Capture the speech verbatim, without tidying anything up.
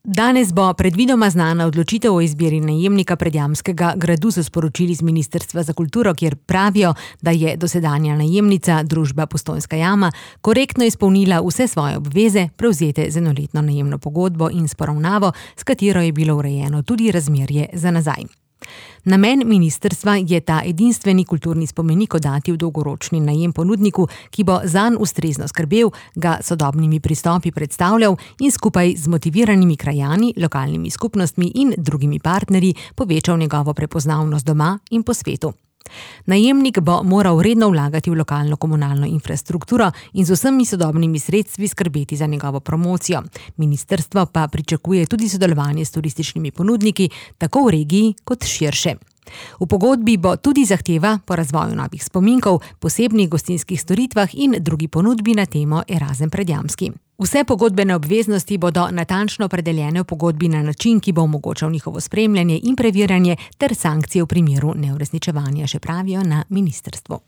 Danes bo predvidoma znana odločitev o izbiri najemnika Predjamskega gradu, so sporočili z Ministrstva za kulturo, kjer pravijo, da je dosedanja najemnica, družba Postojnska jama, korektno izpolnila vse svoje obveze, prevzete z enoletno najemno pogodbo in s poravnavo, s katero je bilo urejeno tudi razmerje za nazaj. Namen ministrstva je ta edinstveni kulturni spomenik oddati v dolgoročni najem ponudniku, ki bo zanj ustrezno skrbel, ga sodobnimi pristopi predstavljal in skupaj z motiviranimi krajani, lokalnimi skupnostmi in drugimi partnerji povečal njegovo prepoznavnost doma in po svetu. Najemnik bo moral redno vlagati v lokalno komunalno infrastrukturo in z vsemi sodobnimi sredstvi skrbeti za njegovo promocijo. Ministrstvo pa pričakuje tudi sodelovanje s turističnimi ponudniki, tako v regiji kot širše. V pogodbi bo tudi zahteva po razvoju novih spominkov, posebnih gostinskih storitvah in drugi ponudbi na temo Erazem Predjamski. Vse pogodbene obveznosti bodo natančno opredeljene v pogodbi na način, ki bo omogočal njihovo spremljanje in preverjanje ter sankcije v primeru neuresničevanja, še pravijo na ministrstvu.